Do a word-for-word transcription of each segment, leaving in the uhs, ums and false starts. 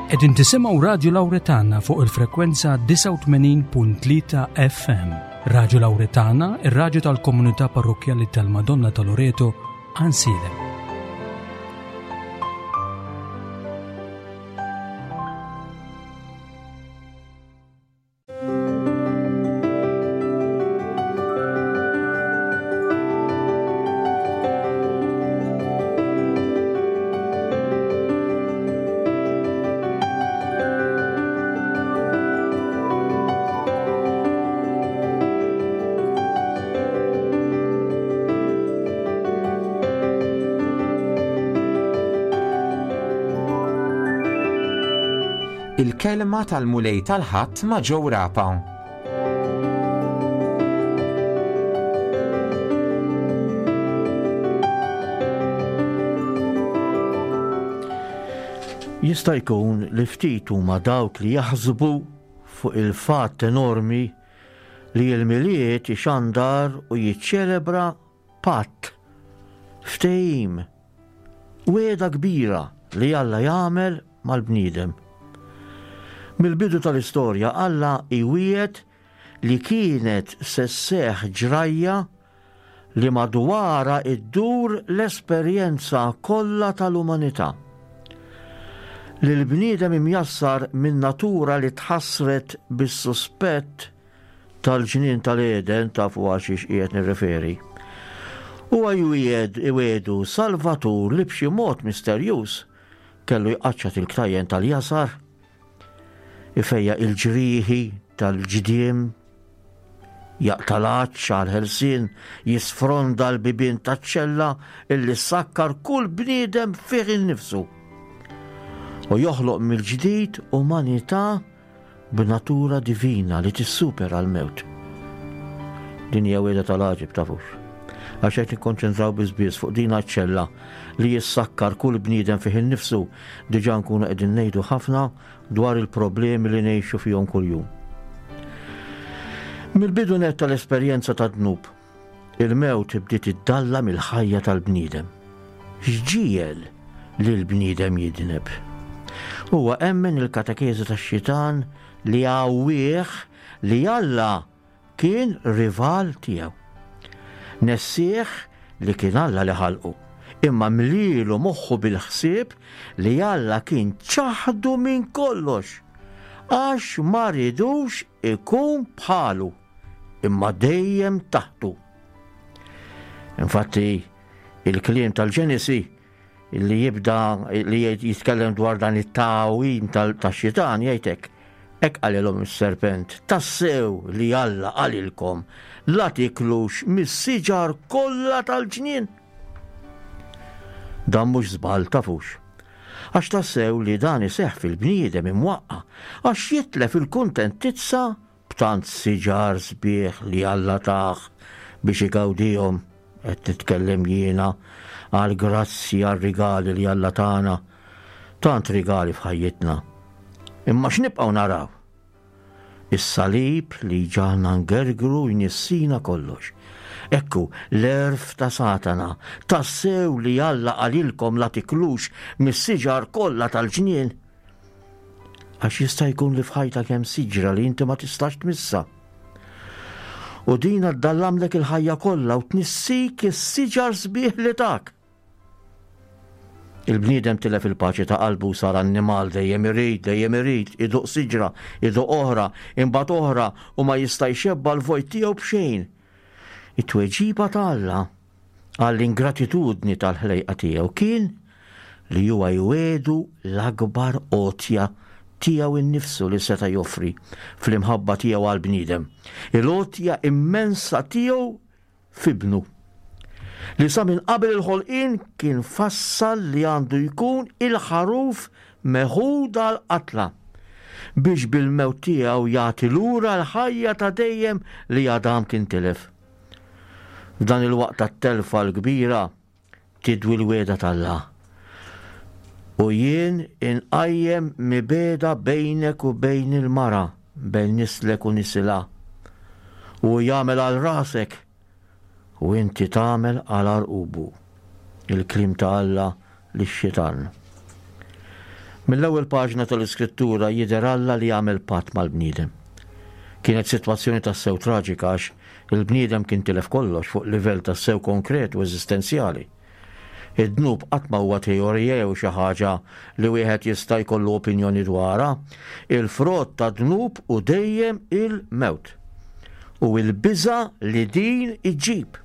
Qegħdin tisimgħu Radju Lawretana fuq il-frekwenza disgħa u tmenin punt tlieta F M. Radju Lawretana, ir-radju tal-Komunità Parrokkjali tal-Madonna ta' Loreto, Għajnsielem. Il-kelma tal-Mulej tal-Ħadd ma' Joe Rapa. Jista' jkun li ftit huma dawk li jaħsbu fuq il-fatt enormi li l-Milied ixandar u jiċċelebra patt, ftehim, wegħda kbira li Alla jagħmel mal-bniedem. Mill-bidu tal-istorja Alla iwiegħed li kienet se sseħħ ġrajja li madwarha iddur l-esperjenza kollha tal-umanità. Li l-bniedem imjassar minn natura li tħassret bis-suspett tal-ġnien tal-Eden, tafu għal xiex qiegħed nirreferi. Huwa jwiegħed iwiegħdu Salvatur li b'xi mod misterjuż kellu jqaċċat il-ktajjen tal-jasar, ifejjaq il-ġrieħi tal-ġdiem, jaqta' l-għatx għal-ħelsien, jisfronda l-bibien taċ-ċella illi sakkar kull bniedem fih innifsu. U joħloq mill-ġdid umanità b'natura divina li tissupera l-mewt. Din hija wegħda tal-għaġeb, tafux. Għax qed nikkonċentraw biss fuq din ċella li jissakkar kull bniedem fih innifsu, diġà nkunu qegħdin ngħidu ħafna dwar il-problemi li ngħixu fihom kuljum. Mill-bidu net tal-esperjenza ta' dnub, il-mewt bdiet iddallam il-ħajja tal-bniedem. X'ġiegħel li l-bniedem jidneb? Huwa emmen il-katekeżi tax-xitan li għawwieħ li Alla kien rival tiegħu. Nessieħ li kien Alla li ħalqu, imma mlielu moħħu bil-ħsieb li Alla kien ċaħdu minn kollox, għax ma ridux ikun bħalu, imma dejjem taħtu. Infatti, il-kliem tal-Ġenesi li jibda li jitkellem dwar dan it-tagħwim tax-xitan jgħidlek: "Hekk qalilhom is-serpent: Tassew li Alla qalilkom la tiklux mis-siġar kollha tal-ġnien?" Dan mhux żball, tafux. Għax tassew li dan iseħħ fil-bniedem imwaqqa, għax jitlef il-kuntentizza b'tant siġar sbieħ li Alla tah biex igawdihom. Qed nitkellem jiena għal grazzi, għal rigali li Alla tana, tant rigali f'ħajjitna. Imma x'nibqgħu naraw? Is-salib li ġagħalna ngergru jnissina kollox. Ekku l-għerf ta' Satana: "Tassew li Alla qalilkom la tiklux mis-siġar kollha tal-ġnien?" Għax jista' jkun li f'ħajtek hemm siġra li inti ma tistax tmissa. U dina ddallamlek il-ħajja kollha u tnissik is-siġar sbieħ li tak. Il-bniedem tilef il-paċi ta' qalbu, sar annimal, dejjem irid, dejjem irid, iduq siġra, iduq oħra, imbagħad oħra, u ma jista' jxebba l-vojt tiegħu b'xejn. It-tweġiba ta' Alla għall-ingratitudni tal-ħlejqa tiegħu kien li huwa jwiegħdu l-akbar għotja tiegħu innifsu li seta' joffri fl-imħabba tiegħu għall-bniedem. Il-għotja immensa tiegħu f'ibnu, li sa minn qabel il-ħolqien kien fassal li għandu jkun il-ħaruf meħud għal-qatla biex bil-mewt tiegħu jagħti lura l-ħajja ta' dejjem li Adam kien tilef. F'dan il-waqt tat-telfa l-kbira tidwi l-wegħda t'Alla: "U jien inqajjem mibegħda bejnek u bejn il-mara, bejn nislek u nisilha. U jagħmel għal rasek u inti tagħmel għal għarqubu." Il-kliem ta' Alla lix-xitan. Mill-ewwel paġna tal-Iskrittura jidher Alla li jagħmel patt mal-bniedem. Kienet sitwazzjoni tassew traġika għax il-bniedem kien tilef kollox fuq livell tassew konkret u eżistenzjali. Id-dnub qatt ma huwa teorija jew xi ħaġa li wieħed jista' jkollu opinjoni dwarha. Il-frott ta' dnub hu dejjem il-mewt u l-biża' li din iġġib.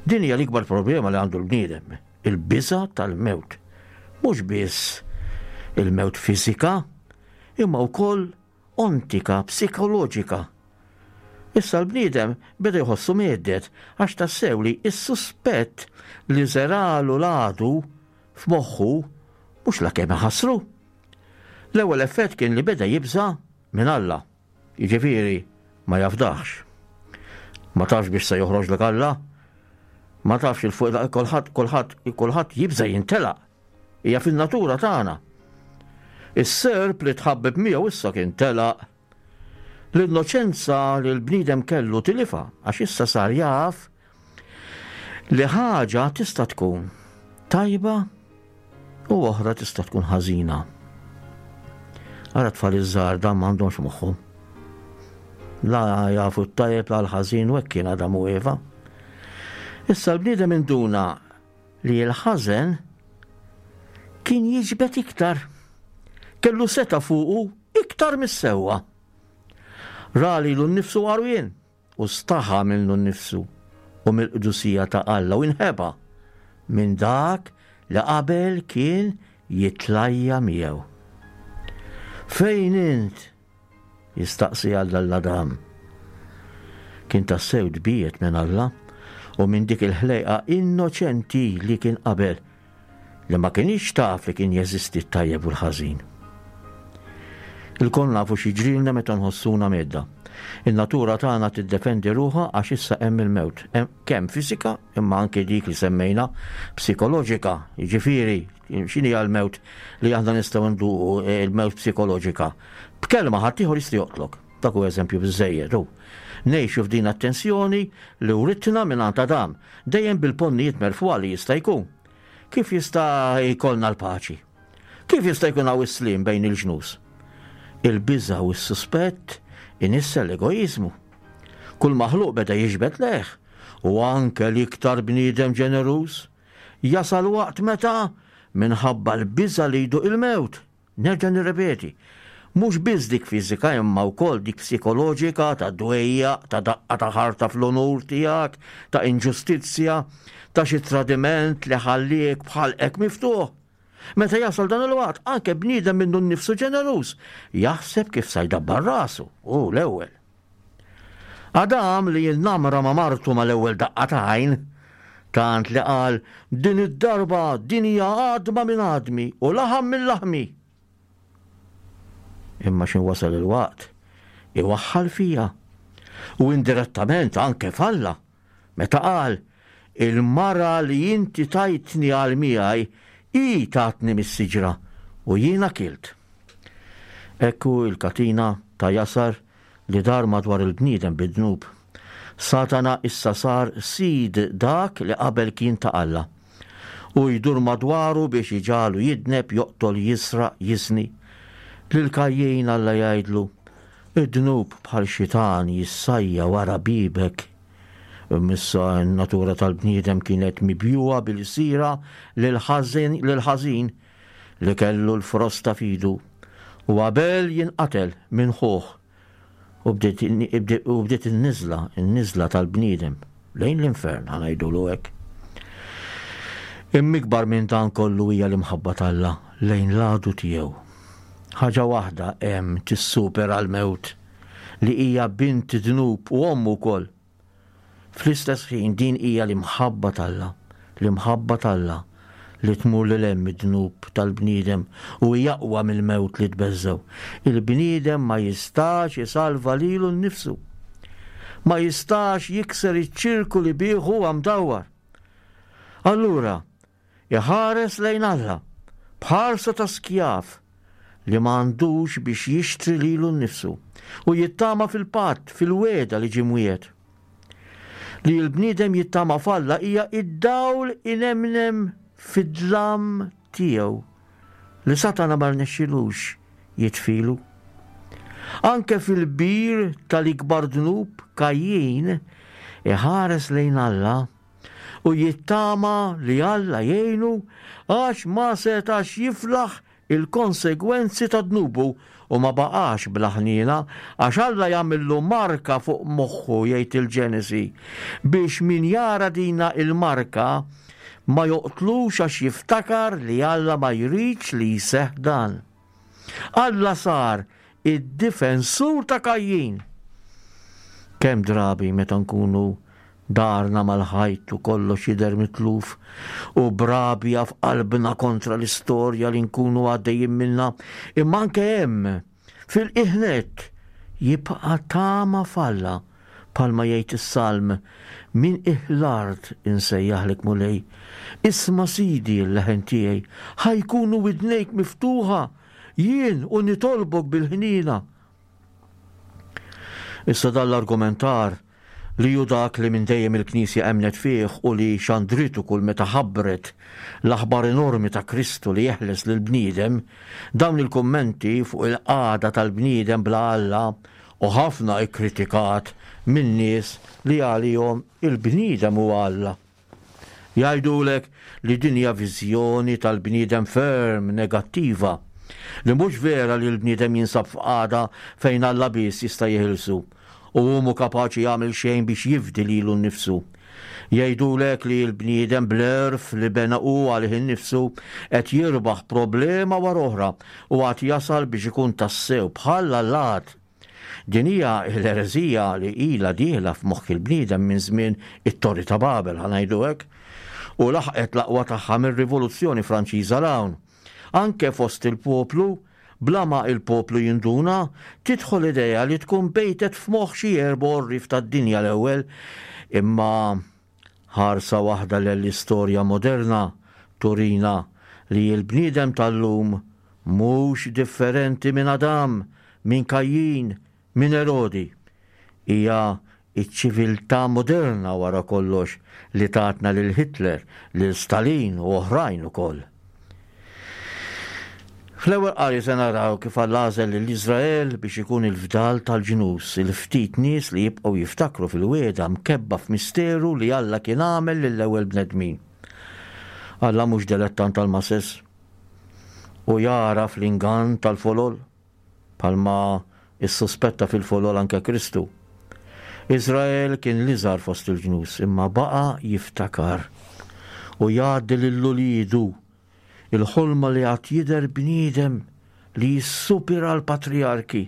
Din hija l-ikbar problema li għandu l-bniedem, il-biża' tal-mewt. Mhux biss il-mewt fiżika, imma wkoll ontika, psikoloġika. Issa l-bniedem beda jħossu mhedded għax tassew li s-suspett li żeralu l-għadu f'moħħu mhux la kemm iħassru. L-ewwel effett kien li beda jibża' minn Alla. Jiġifieri ma jafdax. Ma tafx biex se joħroġlek Alla. Ma tafx il fuq kulħadd kulħadd kulħadd jibża' jintelaq. Hija fin-natura tagħna. Is-serp li tħabbeb miegħu issa kien telaq. L-innoċenza li l-bniedem kellu tilifha għax issa sar jaf li ħaġa tista' tkun tajba u oħra tista' tkun ħażina. Ara tfal iż-żgħar dan m'għandhomx moħħhom. La jafu t-tajjeb la l-ħażin u hekk kien Adam u Eva. Issa l-bniedem induna li l-ħażen kien jiġbed iktar. Kellu seta' fuqu iktar mis-sewwa. Ra lilu nnifsu għarwien u staħa minnu nnifsu u mill-qdusija ta' Alla u inħeba minn dak li qabel kien jitlajja miegħu. Fejn int? Jistaqsi Alla 'l Adam. Kien tassew tbiegħed minn Alla u minn dik il-ħlejqa innoċenti li kien qabel, li ma kienx taf li kien jeżisti t-tajjeb u l-ħażin. Ilkoll nafu x'jiġrilna meta nħossuna medda. In-natura tagħna tiddefendi ruħha għax issa hemm il-mewt, kemm fiżika imma anke dik li semmejna psikoloġika, jiġifieri x'inhi l-mewt li aħna nistgħu nduqu il-mewt psikoloġika. B'kelma ħaddieħor jista' joqtlok. Dak hu eżempju biżżejjed hu. Ngħixu f'din attenzjoni li writna minn għand Adam, dejjem bil-ponnijiet merfugħa li jista' jkun. Kif jista' jkollna l-paċi? Kif jista' jkun hawn is-sliem bejn il-ġnus? Il-biża' u s-suspett inissel l-egoiżmu. Kull maħluq beda jiġbed lejh, u anke l-iktar bniedem ġeneruż jasal waqt meta minħabba l-biża' li jduq il-mewt. Nerġa' nirrepeti, mhux biss dik fiżika imma wkoll dik psikoloġika ta' dwejjaq, ta' daqqa ta' ħarta fl-onur tiegħek, ta' inġustizzja, ta' xi tradiment li ħalliek bħalqek miftuħ. Meta jasal dan il-waqt, anke bniedem minnu nnifsu ġeneruż jaħseb kif sa jdabbar rasu, hu l-ewwel. Adam li jinnamra ma' martu mal-ewwel daqqa ta' għajn, tant li qal din id-darba din hija għadma minn għadmi u laħam minn laħmi. Imma x'in wasal il-waqt, iwaħħal fija u indirettament anke falla, meta qal il-mara li inti tajtni għal miegħi hi tatni mis-siġra u jiena kilt. Ekku il-katina ta' jasar li dar madwar il-bniedem bid-dnub. Satana issa sar sid dak li qabel kien ta' Alla. U jdur madwaru biex iġalu jidneb, joqtol, jisraq, jiżni. Lil Kajjin Alla jgħidlu, id-dnub bħal xitan jissajja wara bibek. Imma n-natura tal-bniedem kienet mibjuha bil-sira lil-ħażin li kellu l-frosta fidu. U Abel jinqatel minn ħuh. U bdiet in-niżla, in-niżla tal-bniedem lejn l-infern, ħa ngħidulu hekk. Imma ikbar minn dan kollu hija l-imħabba t'Alla lejn l-għadu tiegħu. Ħaġa waħda hemm tissupera l-mewt li hija bint dnub u ommu wkoll. Fl-istess ħin din hija l-imħabba t'Alla, l-imħabba t'Alla li tmur lil hemm id-dnub tal-bniedem u hija aqwa mill-mewt li tbeżżew. Il-bniedem ma jistax isalva lilu nnifsu. Ma jistax jikser iċ-ċirku li bih huwa mdawwar. Allura, iħares lejn Alla b'ħarsa ta' skjav li ma għandux biex jixtri lilu nnifsu u jittama fil-patt, fil-weda li ġie mwiegħed. Li l-bniedem jittama f'Alla hija id-dawl inemnem fid-dlam tiegħu. li Satana ma rnexxilux jitfilu. Anke fil-bir tal-ikbar dnub Kajjin iħares lejn Alla u jittama li Alla jgħinu għax ma setax jiflaħ il-konsegwenzi ta' dnubu u ma baqax bla ħniena għax Alla jagħmillu marka fuq moħħu, jgħid il-Ġenesi, biex min jara dina il-marka ma joqtlux għax jiftakar li Alla ma jridx li jseħħ dan. Alla sar id-difensur ta' Kajjin. Kemm drabi meta nkunu darna mal-ħajt u kollox jidher mitluf u b'rabja f'qalbna kontra l-istorja li nkunu għaddejjin minna, imma anke hemm fil-qiegħ nett jibqa' tama f'Alla, bħalma jgħid is-Salm, minn qiegħ l-art insejjaħlek Mulej, isma' Sidi l-leħen tiegħi, ħa jkunu widnejk miftuħa, jien u nitolbok bil-ħniena. Issa dan l-argumentar li ju dak li minn dejjem il-Knisja emnet fih u li xandritu kull meta ħabbret l-aħbar enormi ta' Kristu li jeħles lill-bniedem, dawn il-kummenti fuq il-qagħda tal-bniedem bla Alla u ħafna ikkritikat minn nies li għalihom il-bniedem huwa Alla. Jgħidulek li din hija viżjoni tal-bniedem ferm negattiva, li mhux vera li l-bniedem jinsab f'qagħda fejn Alla biss jista' jeħilsu u hu mhu kapaċi jagħmel xejn biex jifdi lilu nnifsu. Jgħidulek li l-bniedem bl-għerf li bena hu għalih innifsu qed jirbaħ problema wara oħra u għad jasal biex ikun tassew bħal allat. Din hija l-ereżija li ilha dieħla f'moħħ il-bniedem minn żmien it-Torri ta' Babel, ħa ngħidu hekk, u laħqet l-aqwa tagħha mir-Rivoluzzjoni Franċiża 'l hawn. Anke fost il-poplu, bla ma il-poplu jinduna, tidħol idea li tkun bejtet f'moħħ xi erba' għorrief tad-dinja l-ewwel, imma ħarsa waħda l-istorja moderna turina li l-bniedem tal-lum mhux differenti minn Adam, minn Kajjin, minn Erodi. Hija iċ-ċiviltà moderna wara kollox li tatna lil Hitler, lil Stalin u oħrajn ukoll. Fl-ewwel qari se naraw kif Alla għażel lil Iżrael biex ikun il-fdal tal-ġnus, il-ftit nies li jibqgħu jiftakru fil-wiegħda mkebba f'misteru li Alla kien għamel lill-ewwel bnedmin. Alla mhux delettant tal-masses u jara fl-ingann tal-folol, bħalma issuspetta fil-folol anke Kristu. Iżrael kien l-iżgħar fost il-ġnus, imma baqa' jiftakar u jgħaddi lil uliedu il-ħolma li għad jidher bniedem li jissupera l-patriarki,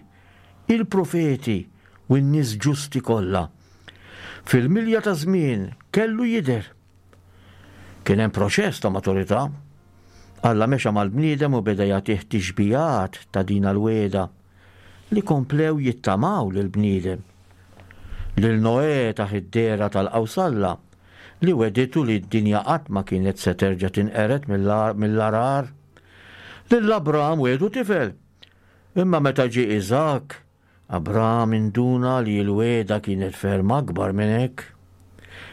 il-profeti u n-nies ġusti kollha. Fil-milja ta' żmien kellu jidher. Kien hemm proċess ta' maturità. Alla mexa mal-bniedem u beda jagħtih tixbijat ta' din l-wegħda li komplew jittamaw lill-bniedem. Lil Noè taħ id-dehra tal-qawsalla li weditu li d-dinja qatt ma kienet se terġa' tinqered mill-arar. Lil Abram wedu tifel. Imma meta ġie Iżak, Abram induna li l-wegħda kienet ferm akbar minn hekk.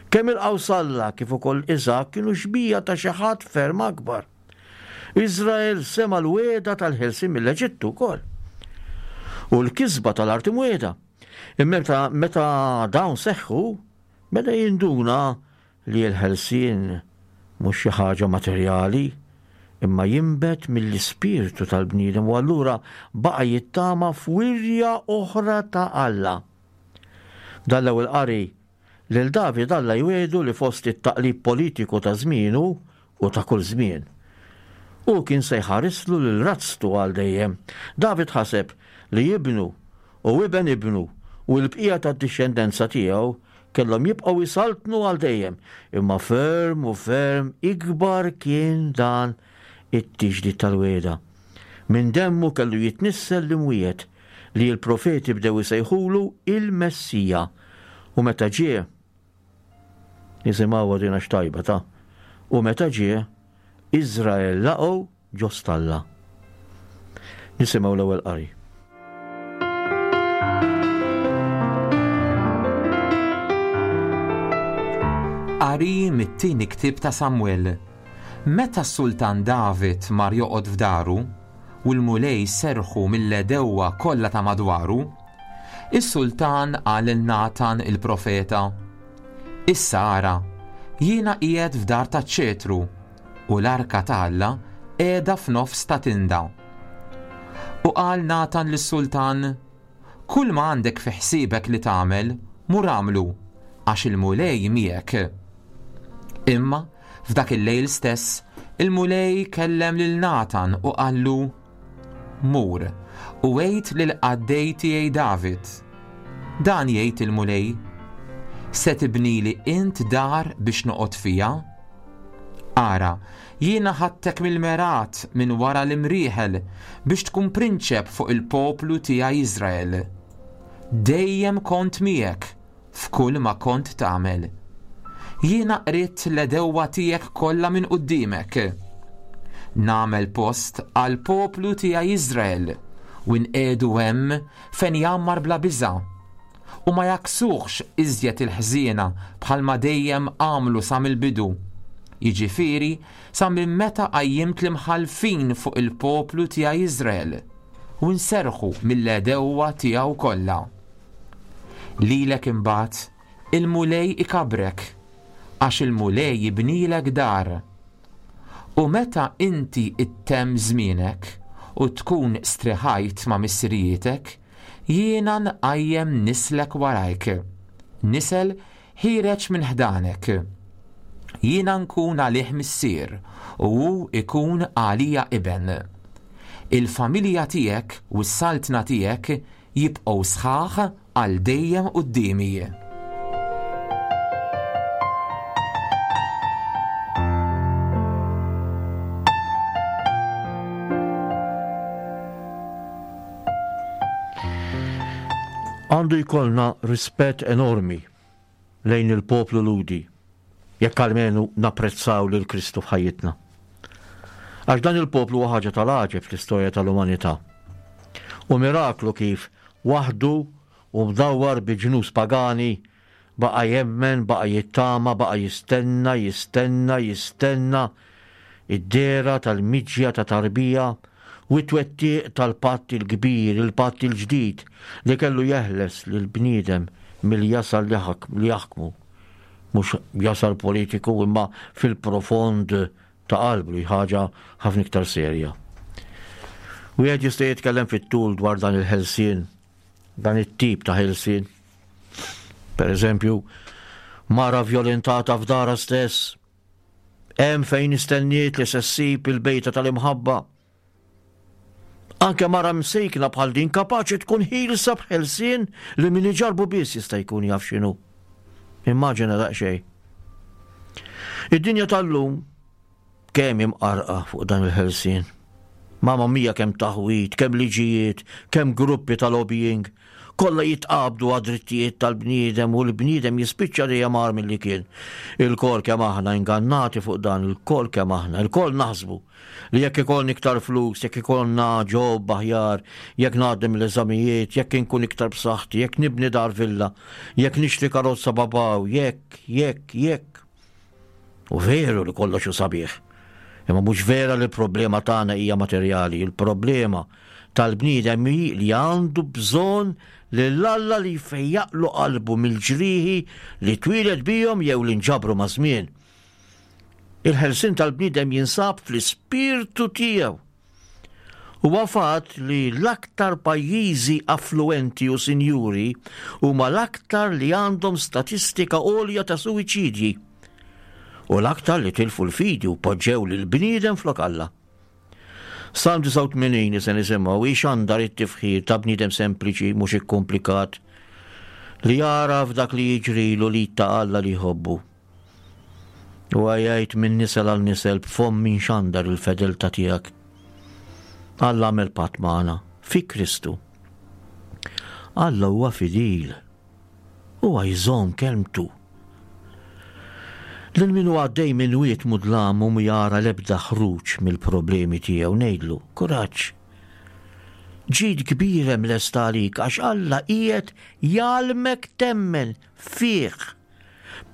Kemm il-qawsalla kif ukoll Iżak kienu xbija ta' xi ħadd ferm akbar. Iżrael sema l-wegħda tal-ħelsien mill-Eġittu wkoll. U l-kisba tal-art imwiegħda. Imma meta, meta dawn seħħu, beda jinduna li l-ħelsien mhux xi ħaġa materjali, imma jinbet mill-ispirtu tal-bniedem u allura baqa' jittama f'wirja oħra ta' Alla. Dan l-ewwel qari lil David Alla jwiegħdu li fost it-taqlib politiku ta' żmienu u ta' kull żmien. U kien se jħarislu lil razztu għal dejjem. David ħaseb li ibnu u iben ibnu u l-bqija tad-dixxendenza tiegħu kellhom jibqgħu jsaltnu għal dejjem, imma ferm u ferm ikbar kien dan it-tiġdid tal-wegħda. Minn demmu kellu jitnissel l-imwiet li l-profeti bdew isejħulu il-Messija. U meta ġie, nisimgħu din għax tajba ta', u meta ġie, Iżrael laqgħu ġo stalla. Nisimgħu l-ewwel qari. Qari mit-tieni ktieb ta' Samuel. Meta s-sultan David mar joqgħod f'daru u l-Mulej serħu mill-għedewwa kollha ta' madwaru, is-sultan qal lil Natan il-profeta, Issa ara, jiena qiegħed f'dar taċ-ċetru u l-arka ta' Alla qiegħda f'nofs ta' tinda. U qal Natan lis-sultan, Kull ma għandek fi ħsiebek li tagħmel, mur agħmlu, għax il-Mulej miegħek. Imma f'dak il-lejl stess, il-Mulej kellem lil Natan u qallu, Mur, u għid lill-qaddej tiegħi David. Dan jgħid il-Mulej, se tibnili int dar biex noqgħod fiha? Ara, jiena ħadtek mill-mergħat minn wara l-imrieħel biex tkun prinċep fuq il-poplu tiegħi Iżrael. Dejjem kont miegħek f'kull ma kont tagħmel. Jiena qridt l-għedewwa tiegħek kollha minn quddiemek. Nagħmel post għal poplu tiegħi Iżrael u nqiegħdu hemm fejn jgħammar bla biża', u ma jaksuhx iżjed il-ħżiena bħalma dejjem għamlu sa mill-bidu, jiġifieri sa minn meta qajjimt l-imħallfin fuq il-poplu tiegħi Iżrael, u nserrħu mill-għedewwa tiegħu kollha. Lilek imbagħad il-Mulej ikabrek, għax il-Mulej jibnilek dar. U meta inti ittemm żmienek u tkun striħajt ma' missirijitek, jiena nqajjem nislek warajk, nisel ħiereġ minn ħdanek. Jiena nkun għalih missier u hu ikun għalija iben. Il-familja tiegħek u s-saltna tiegħek jibqgħu sħaħ għal dejjem quddiemi. Għandu jkollna rispett enormi lejn il-poplu Lhudi, jekk almenu napprezzaw lil Kristu f'ħajjitna. Għax dan il-poplu huwa ħaġa tal-għaġeb fl-istorja tal-umanità. U miraklu kif waħdu u mdawwar bi ġnus pagani baqa' jemmen, baqa' jittama, baqa' jistenna, jistenna, jistenna id-dehra tal-miġja ta' tarbija u t-twettiq tal-patt il-kbir, il-patt il-ġdid li kellu jeħles lill-bniedem mill-jasar li ħak-, li jaħkmu. Mhux jasar politiku imma fil-profond ta' qalbu, li ħaġa ħafna iktar serja. Wieħed jista' jitkellem fit-tul dwar dan il-ħelsien, dan it-tip ta' ħelsien. Per eżempju, mara vjolentata f'dara stess, hemm fejn istenniet li se ssib il-bejta tal-imħabba. Anke mara msejkna bħal din kapaċi tkun ħielsa b'ħelsien li min iġarbu biss jista' jkun jaf x'inhu. Immaġina daqsxejn. Id-dinja tal-lum kemm imqarqa fuq dan il-ħelsien. Mamma mia kemm taħwit, kemm liġijiet, kemm gruppi ta' lobbying, kollha jitqabdu għad-drittijiet tal-bniedem u l-bniedem jispiċċa dejjem agħar milli kien. Il-kol kemm aħna ingannati fuq dan, il-kol kemm aħna, il-kol naħsbu li jekk ikollni iktar flus, jekk ikollna ġob aħjar, jekk ngħaddi mill-eżamijiet, jekk inkun iktar b'saħħti, jekk nibni dar villa, jekk nixtri karozza babaw, jekk, jekk, jekk. U veru li kollox hu sabiħ. Imma mhux vera li l-problema tagħna hija materjali, il-problema tal-bniedem hi li għandu bżonn lil Alla li jfejjaqlu qalbu mill-ġrieħi li twieled bihom jew li nġabru ma' żmien. Il-ħelsien tal-bniedem jinsab fl-ispirtu tiegħu. Huwa fatt li l-aktar pajjiżi affluenti u sinjuri huma l-aktar li għandhom statistika għolja ta' suwiċidji u l-aktar li tilfu l-fidi u poġġew lill-bniedem flok Alla. Salm disgħa u tmenin li se nisimgħu ixandar it-tifħir ta' bniedem sempliċi mhux ikkomplikat li jara f'dak li jiġrilu li ta' Alla li jħobbu. U jgħid minn nisel għal nisel b'fomm min xandar il-fedeltà tiegħek. Alla għamel patt magħna fi Kristu. Alla huwa fidil. Huwa jżomm kelmtu. Lil min hu għaddej minn wied mudlam u jara l-ebda ħruġ mill-problemi tiegħu ngħidlu, kuraġġ. Ġid kbir hemm lest għalik għax Alla qiegħed jgħallmek temmen fih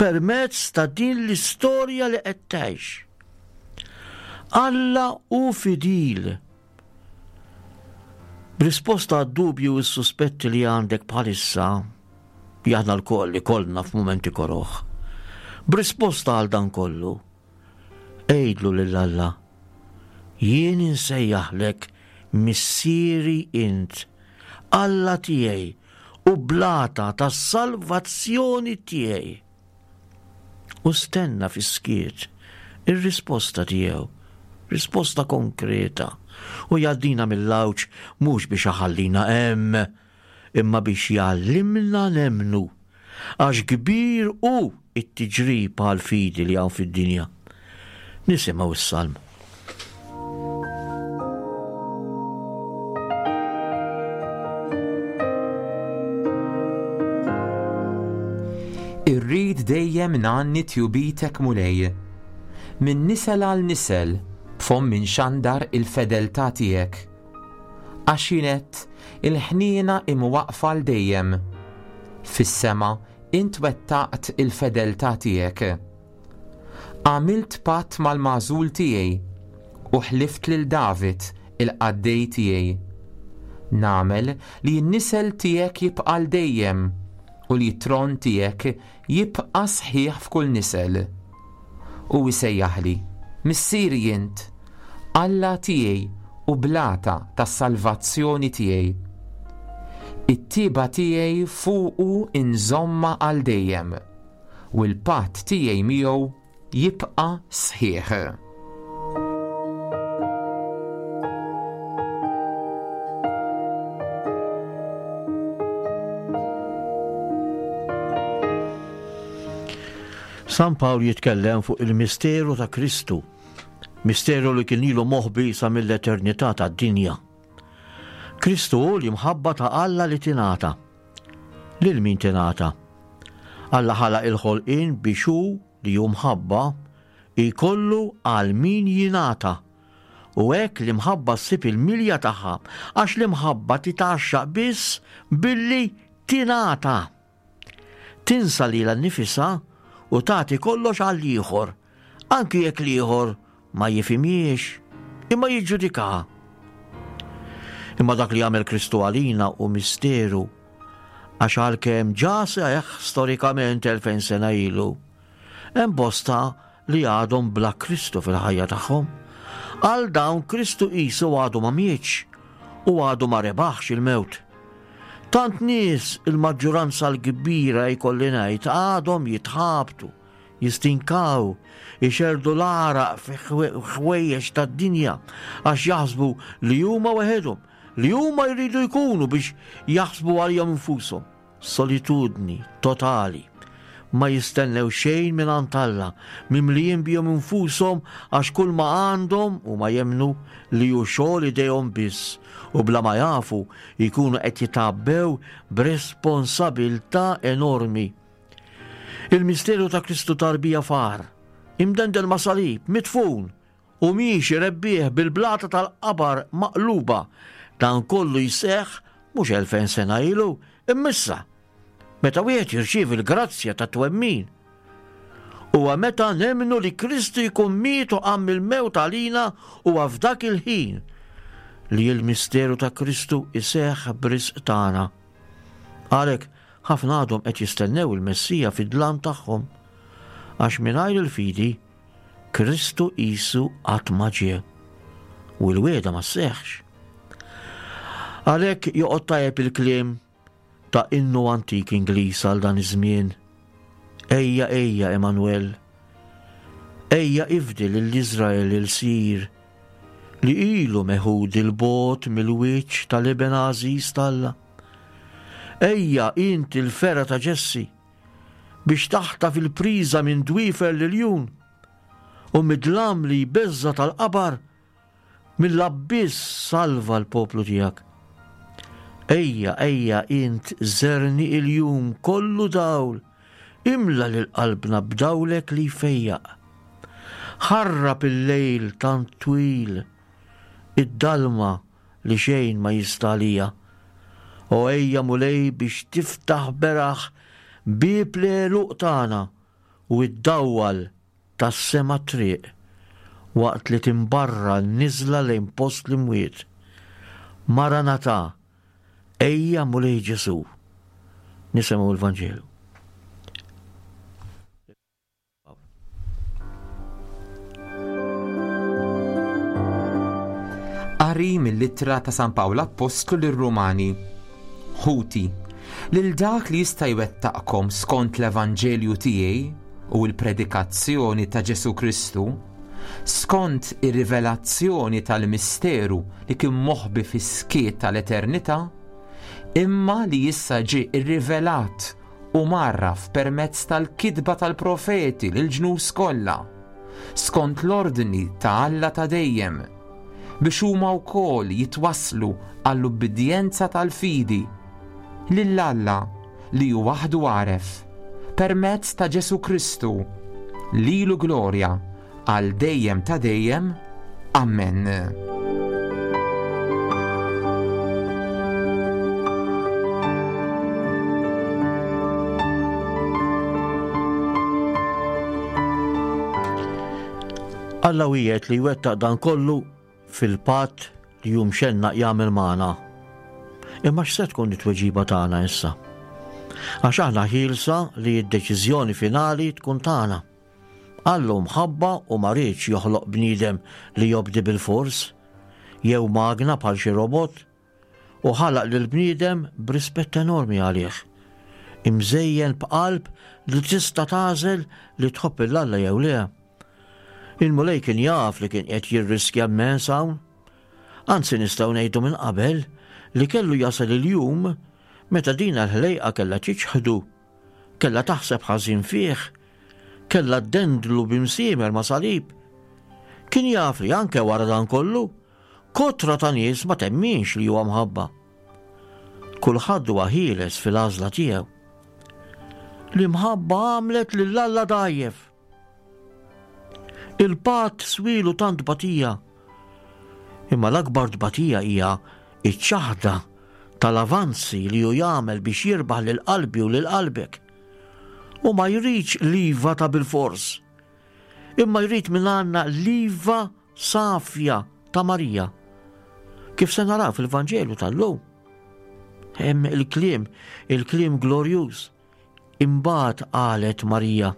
permezz ta' din l-istorja li qed tgħix. Alla hu fidil. B'risposta għad-dubju u s-suspetti li għandek bħalissa, li aħna lkoll li kollna f'mumenti koroh. B'risposta għal dan kollu, għidlu lil Alla, jien insejjaħlek missieri int, Alla tiegħi u blata tas-salvazzjoni tiegħi. U stenna fis-skiet ir-risposta tiegħu, risposta konkreta, u jgħaddina mill-għawġ mhux biex iħallina hemm, imma biex jgħallimna nemmnu, għax kbir hu it-tiġrib għall-fidi li hawn fid-dinja. Nisimgħu s-salm. Irrid dejjem ngħanni tjubitek Mulej. Minn nisel għal nisel b'fommi nxandar il-fedeltà tiegħek. Għax jien għedt, il-ħniena imwaqfa għal dejjem. Fis-sema int wettaqt il-fedeltà tiegħek. Għamilt patt mal-magħżul tiegħi u ħlift lil David il-qaddej tiegħi. Nagħmel li n-nisel tiegħek jibqa' għal dejjem u li t-tron tiegħek jibqa' sħiħ f'kull nisel. U jsejjaħli, Missieri int, Alla tiegħi u blata tas-salvazzjoni tiegħi. It-tiba tiegħi fuqu inżomma għal dejjem, u l-patt tiegħi miegħu jibqa' sħiħ. San Pawl jitkellem fuq il-misteru ta' Kristu, misteru li kien ilu moħbi sa mill-eternità tad-dinja. Kristu hu l-imħabba ta' Alla li tingħata. Lil min tingħata? Alla ħalaq il-ħolqien biex hu li hu mħabba jkollu għal min jingħata. U hekk l-imħabba ssib il-milja tagħha, għax l-imħabba titgħaxxaq biss billi tingħata. Tinsa lilha nnifisha u tagħti kollox għal ieħor, anki jekk l-ieħor ma jifhimhiex, imma jiġġudikaha. Imma dak li għamel Kristu għalina hu misteru, għax għalkemm ġa seħħ storikament elfejn sena ilu, hemm bosta li għadhom bla Kristu fil-ħajja tagħhom. Għal dawn Kristu qisu għadu ma mietx u għadu ma rebaħx il-mewt. Tant nies, il-maġġoranza l-kbira jkolli ngħid, għadhom jitħabtu, jistinkaw, ixerdu l-għaraq fi ħwejjeġ tad-dinja għax jaħsbu li huma waħedhom, li huma jridu jkunu biex jaħsbu għalihom infushom. Solitudni totali. Ma jistennew xejn minn għand Alla, mimlijin bihom infushom għax kull ma għandhom u ma jemmnu li hu xogħol idejhom biss, u bla ma jafu jkunu qed jitgħabbew b'responsabilità enormi. Il-misteru ta' Kristu tarbija far, imdendel ma' salib, midfun, u miexi rebbieħ bil-blata tal-qabar maqluba, dan kollu jseħħ mhux elfejn sena ilu, immissa. Meta wieħed jirċievi l-grazzja ta' twemmin. Huwa meta nemmnu li Kristu jkun miet u qam mill-mewt għalina, huwa f'dak il-ħin li l-misteru ta' Kristu iseħħ b'risq tagħna. Għalhekk ħafna għadhom qed jistennew il-Messija fid-dlam tagħhom, għax mingħajr il-fidi Kristu qisu qatt ma ġie u l-wiegħda ma sseħħx. Għalhekk joqgħod tajjeb il-kliem ta' innu antik Ingliż għal dan iż-żmien. Ejja, ejja, Emanuel. Ejja ifdi lil Iżrael il-sir li ilu meħud il-bogħod mill-wiċċ tal-Iben Għażiż t'Alla. Ejja int il-fera ta' Ġessi biex taħtaf il-priża minn dwiefer l-iljun u mid-dlam li jbeżża tal-qabar mill-abbiss salva l-poplu tiegħek. Ejja, ejja, int żerni il-jum kollu dawl, imla lil qalbna b'dawlek li jfejjaq. Ħarrab il-lejl tant twil, id-dalma li xejn ma jista' għalija. O ejja Mulej biex tiftaħ beraħ bieb l-għeluq tagħna u ddawwal tas-sema triq. waqt li timbarra n-niżla lejn post l-imwiet. Maranatha, ejja Mulej Ġesù. Nisimgħu l-Vanġelu. Qari mill-ittra ta' San Pawl Appostlu lir-Rumani. Ħuti, lil dak li jista' jwettaqkom skont l-Evanġelju tiegħi u l-predikazzjoni ta' Ġesù Kristu, skont ir-rivelazzjoni tal-misteru li kien moħbi fis-skiet tal-eternità, imma li issa ġie rrivelat u mgħarraf permezz tal-kitba tal-profeti lill-ġnus kollha, skont l-ordni ta' Alla ta' dejjem, biex huma wkoll jitwasslu għall-ubbidjenza tal-fidi lil Alla li hu waħdu għaref, permezz ta' Ġesù Kristu, lilu glorja għal dejjem ta' dejjem. Amen. Alla wiegħed li jwettaq dan kollu fil-patt li hu mxennaq jagħmel magħna. Imma x'se tkun it-tweġiba tagħna issa? Għax aħna ħielsa li d-deċiżjoni finali tkun tagħna. Alla hu mħabba u ma riedx joħloq bniedem li jobdi bil-fors, jew magna bħal xi robot, u ħalaq lil bniedem b'rispett enormi għalih. Imżejjen b'qalb li tista' tagħżel li tħobb 'il Alla jew le. Il-Mulej kien jaf li kien qed jirriskja immens hawn. Anzi nistgħu ngħidu minn qabel li kellu jasal il-jum meta din l-ħlejqa kellha tiċħdu, kellha taħseb ħażin fih, kellha ddendlu b'imsiemer ma' salib. Kien jaf li anke wara dan kollu, kotra ta' nies ma temminx li huwa mħabba. Kulħadd huwa ħieles fil-għażla tiegħu. L-imħabba għamlet lil Alla dgħajjef. Il-patt swilu tant tbatija. Imma l-akbar tbatija hija iċ-ċaħda tal-avanzi li hu jagħmel biex jirbaħ lil qalbi u lil qalbek. U ma jridx l-iva ta' bilfors, imma jrid minn għandna l-iva safja ta' Marija. Kif se naraw fil-Vanġelu tal-lum. Hemm il-kliem, il-kliem glorjuż. Imbagħad qalet Marija,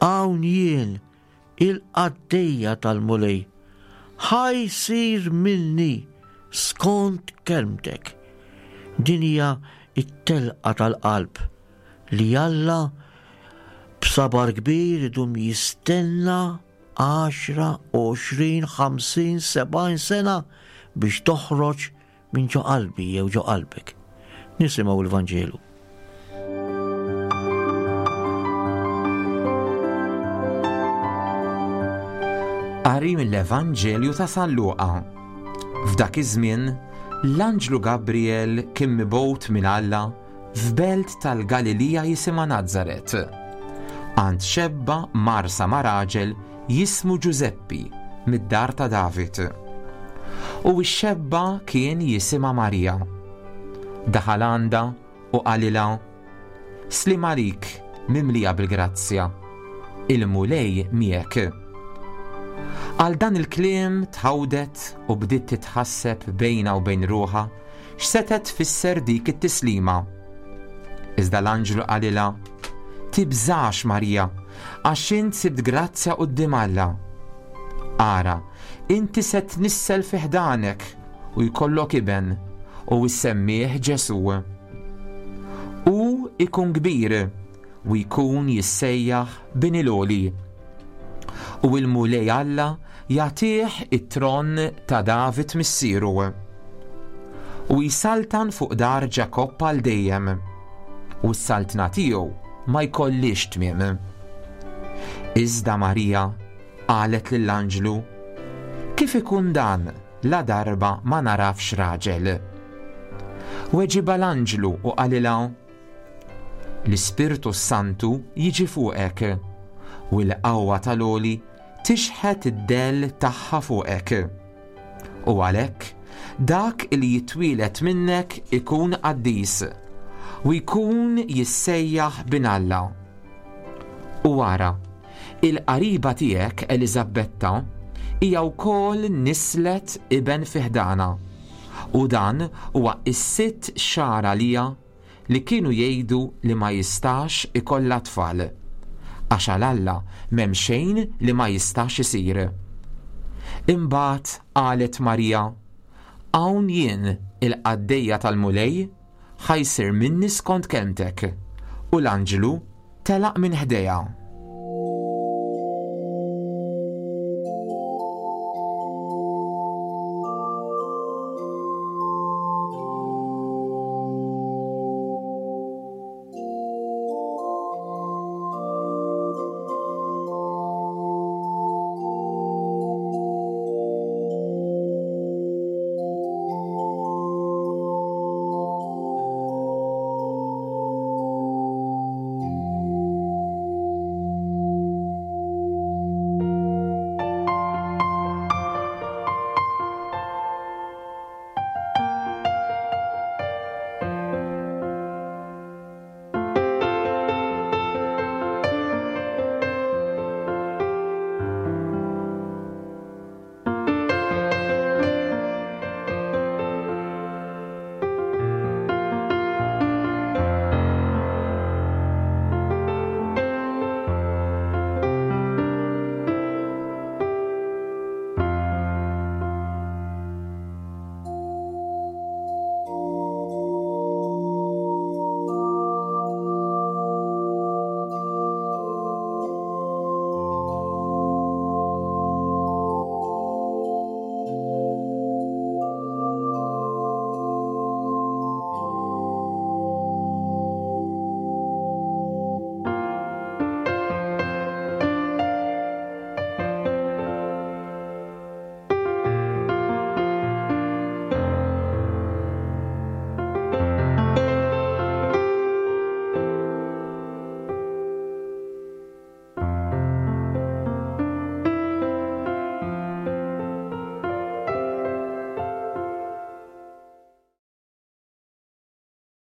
hawn jien il-qaddejja tal-Mulej, ħa jsir minni skont kelmtek. Din hija it-telqa tal-qalb li Alla b'sabar kbir idum jistenna għaxra, għoxrin, ħamsin, sebgħin sena biex toħroġ minn ġo qalbi jew ġo qalbek. Nisimgħu l-Vanġelu. Qari mill-Evanġelju ta' San Luqa. F'dak iż-żmien, l-anġlu Gabriel kien mibgħut minn Alla f'belt tal-Galilija jisimha Nazaret. Għand xebba marsa ma' raġel jismu Ġużeppi mid-dar ta' David. U x-xebba kien jisimha Marija. Daħal għandha u qalilha, Slim għalik, mimlija bil-grazzja, il-Mulej miegħek. Għal dan il-kliem tħawdet u bdiet titħasseb bejna u bejn ruħha x'setet tfisser dik it-tislima. Iżda l-anġlu qalilha, Tibżax Marija, għax int sibt grazzja quddiem Alla. Ara, inti se tnissel fi ħdanek u jkollok iben u issemmih Ġesù. Hu ikun kbir u jkun jissejjaħ Bin il-Għoli. U l-Mulej Alla jagħtih it-tron ta' David missieru. U jsaltan fuq dar Ġakobb għal dejjem, u s-saltna tiegħu ma jkollix tmiem. Iżda Marija qalet lill-anġlu, Kif ikun dan la darba ma narafx raġel? Weġibha l-anġlu u qalilha, L-Ispirtu Santu jiġi fuqek, u l-qawwa tal-Għoli tixħet id-dell tagħha fuqek. U għalhekk dak li jitwielet minnek ikun qaddis u jkun jissejjaħ bin Alla. U wara, il-qariba tiegħek Eliżabetta Hija wkoll nislet iben fi ħdanha. U dan huwa is-sitt xahar għaliha li kienu jgħidu li ma jistax ikollha tfal. Għax għal Alla m'hemm xejn li ma jistax isir. Imbagħad qalet Marija, Hawn jien il-qaddejja tal-Mulej ħa jsir minni skont kelmtek. U l-anġlu telaq minn ħdejha.